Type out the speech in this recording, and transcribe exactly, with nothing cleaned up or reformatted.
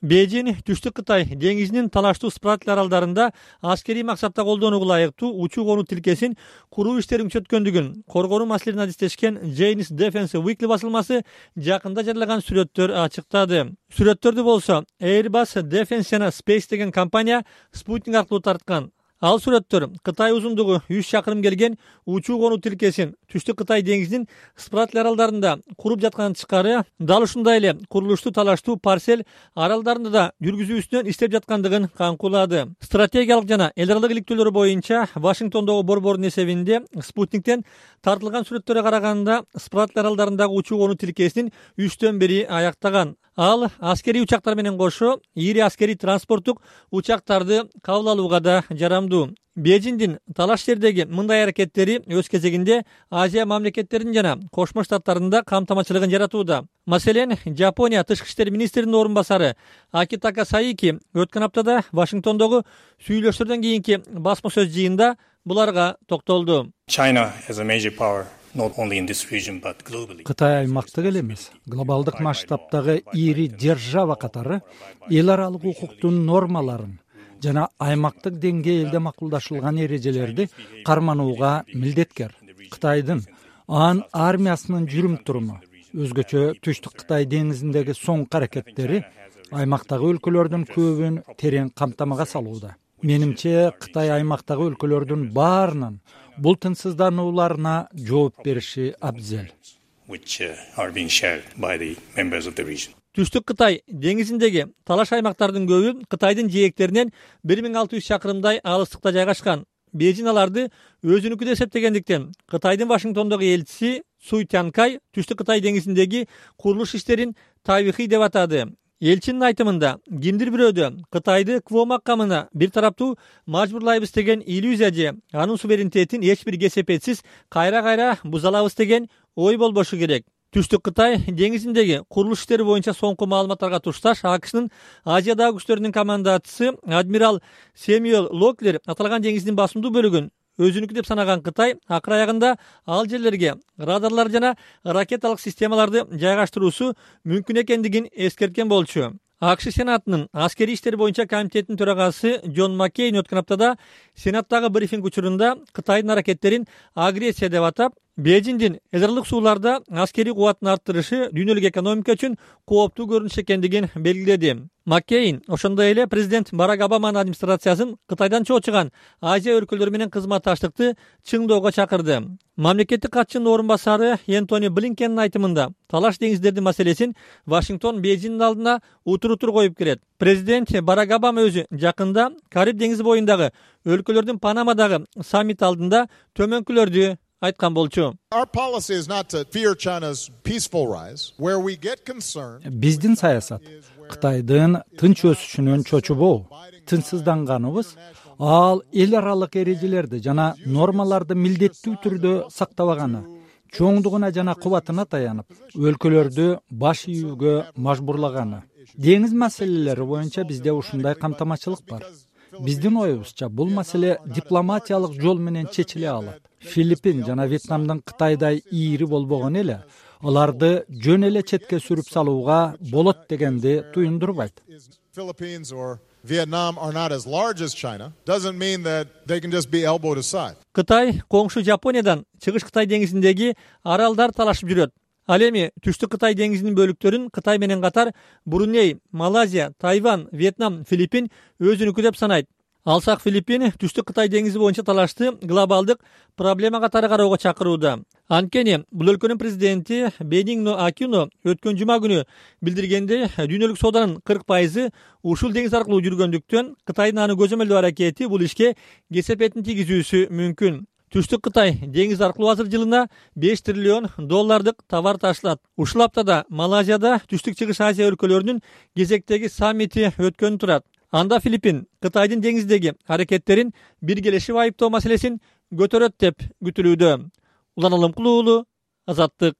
Бейжин Түштүк Кытай деңизинин талаштуу Спратли аралдарында аскерий максатта колдонууга ылайыктуу учуу конуу тилкесин куруу иштерин күчөткөндүгүн коргонуу маселелерин адистешкен Chinese Defense Weekly басылмасы жакында жарыялаган сүрөттөр ачыктады. Сүрөттөрдү болсо Airbus Defense жана Space деген компания спутник аркылуу тарткан. Ал сүрөттөр Кытай узундугу үч чакырым келген учуу конуу тилкесин Түштүк Кытай деңизинин Спратли аралдарында куруп жаткан тышкары, дал ушундай эле курулушту талаштуу Парсель аралдарында да жүргүзүүсүнөн иштеп жаткандыгын камкулады. Стратегиялык жана эл аралык иликтөөлөр боюнча Вашингтондогу борбордун эсебинде спутниктен тартылган сүрөттөргө караганда Спратли аралдарындагы учуу конуу тилкесинин үчтөн бири аяктаган. Ал аскерий учактар менен кошо ири аскерий транспорттук учактарды кабыл алууга да жарамдуу. Бейжиңдин талаш жердеги мындай аракеттери өз кезегинде Азия мамлекеттеринин жана Кошмо Штаттарында камтамачылыгын жаратууда. Маселен, Жапония тышкы иштер министринин орун басары Акитака Саики өткөн аптада Вашингтондогу сүйлөшүүлөрдөн кийинки басма сөз жыйында буларга токтолду. China as a major power. Кытай аймактык эле эмес, глобалдык масштабтагы ири держава катары эл аралык укуктун нормаларын жана аймактык деңгээлде макулдашылган эрежелерди карманууга милдеткер. Кытайдын анын армиясынын жүрүм-туруму, өзгөчө Түштүк Кытай деңизиндеги соңку аракеттери аймактагы өлкөлөрдүн көбүн терең камтамага салууда. Менимче, Кытай аймактагы өлкөлөрдүн баарынын бул тынчсызданууларына жооп бериши абзел. Түштүк Кытай деңизиндеги талаш аймактардын көбү Кытайдын жээктеринен бир миң алты жүз чакырымдай алыстыкта жайгашкан. Бейжиң аларды өзүнүкү деп эсептегендиктен Кытайдын Вашингтондогу элчиси Суй Тянкай Түштүк Кытай деңизиндеги курулуш иштерин тарыхый деп атады. Элчинин айтымында, кимдир бирөөдө Кытайды Кво макамына бир тараптуу мажбурлайбыз деген иллюзия же анын суверенитетин эч бир кесепетсиз кайра-кайра буза алабыз деген ой болбошу керек. Түштүк Кытай деңизиндеги курулуш иштери боюнча соңку маалыматтарга тушташ АКШнын Азиядагы күчтөрүнүн командачысы адмирал Сэмюэл Локлер аталган деңиздин басымдуу бөлүгүн өзүнүкү деп санаган Кытай акыр аягында ал жерлерге радарлар жана ракеталык системаларды жайгаштыруусу мүмкүн экендигин эскерткен болчу. АКШ Сенатынын аскерий иштер боюнча комитетинин төрагасы Джон Маккейн өткөн аптада Сенаттагы брифинг учурунда Кытайдын аракеттерин агрессия деп атап, Бейжиңдин эл аралык сууларда аскерий кубатын арттырышы дүйнөлүк экономика үчүн кооптуу көрүнүш экендигин белгиледи. Маккейн ошондой эле президент Барак Обаманын администрациясын Кытайдан чоочуган Азия өлкөлөрү менен кызматташтыкты чыңдоого чакырды. Мамлекеттик катчынын орун басары Энтони Блинкендин айтымында талаш деңиздердин маселесин Вашингтон Бейжиңдин алдына утур-утур коюп келет. Президент Барак Обама өзү жакында Кариб деңизи боюндагы өлкөлөрдүн Панамадагы саммит алдында төмөнкүлөрдү айткан болчу. Биздин саясат Кытайдын тынч өсүшүнөн чочубоо, тынчсызданганыбыз ал эл аралык эрежелерди жана нормаларды милдеттүү түрдө сактабаганы, чоңдугуна жана кубатына таянып, өлкөлөрдү баш ийүүгө мажбурлаганы. Деңиз маселелери боюнча бизде ушундай камтамачылык бар. Биздин оюбузча бул маселе дипломатиялык жол менен чечиле алат. Филиппин жана Вьетнамдын Кытайдай ири болбогон эле аларды жөн эле четке сүрүп салууга болот дегенди туюндурбайт. Кытай коңшу Жапониядан чыгыш Кытай деңизиндеги аралдар талашып жүрөт. Ал эми Түштүк Кытай деңизинин бөлүктөрүн Кытай менен катар Бруней, Малайзия, Тайвань, Вьетнам, Филиппин өзүнүкү деп санайт. Алсак Филиппин Түштүк Кытай деңизи боюнча талашты глобалдык проблема катары кароого чакырууда. Анткени бул өлкөнүн президенти Бенингно Акино өткөн жума күнү билдиргендей, дүйнөлүк сооданын кырк пайызы ушул деңиз аркылуу жүргөндүктөн Кытайдын аны көзөмөлдөө аракети бул ишке кесепетин тийгизүүсү мүмкүн. Түштүк Кытай деңиз аркылуу азыр жылына беш триллион доллардык товар ташлат. Ушул аптада Малайзияда Түштүк Чыгыш Азия өлкөлөрүнүн кезектеги саммити өткөнү турат. Анда Филиппин Кытайдын деңиздеги аракеттерин биргелешип айыптоо маселесин көтөрөт деп күтүлүүдө. Улан Алымкулуу, Азаттык.